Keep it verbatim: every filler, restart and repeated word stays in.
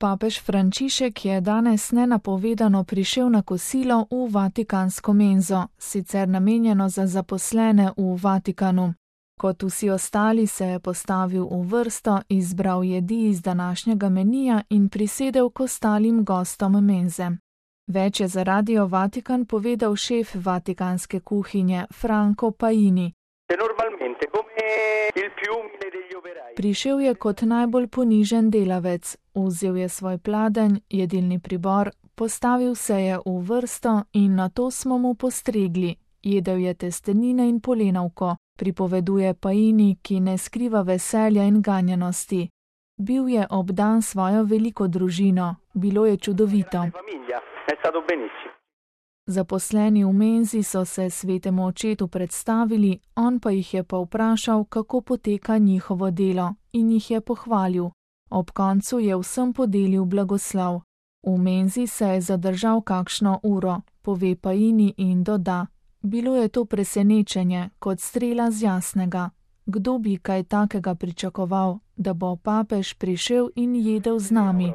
Papež Frančišek je danes nenapovedano prišel na kosilo v vatikansko menzo, sicer namenjeno za zaposlene v Vatikanu. Kot vsi ostali se je postavil v vrsto, izbral jedi iz današnjega menija in prisedel k ostalim gostom menze. Več je za Radio Vatikan povedal šef vatikanske kuhinje Franco Paini. Prišel je kot najbolj ponižen delavec, vzel je svoj pladenj, jedilni pribor, postavil se je v vrsto in nato smo mu postregli. Jedel je testenine in polenovko, pripoveduje Paini, ki ne skriva veselja in ganjenosti. Bil je obdan svojo veliko družino, bilo je čudovito. Zaposleni v menzi so se svetemu očetu predstavili, on pa jih je pa vprašal, kako poteka njihovo delo, in jih je pohvalil. Ob koncu je vsem podelil blagoslov. V menzi se je zadržal kakšno uro, pove Paini in doda. Bilo je to presenečenje, kot strela z jasnega. Kdo bi kaj takega pričakoval, da bo papež prišel in jedel z nami?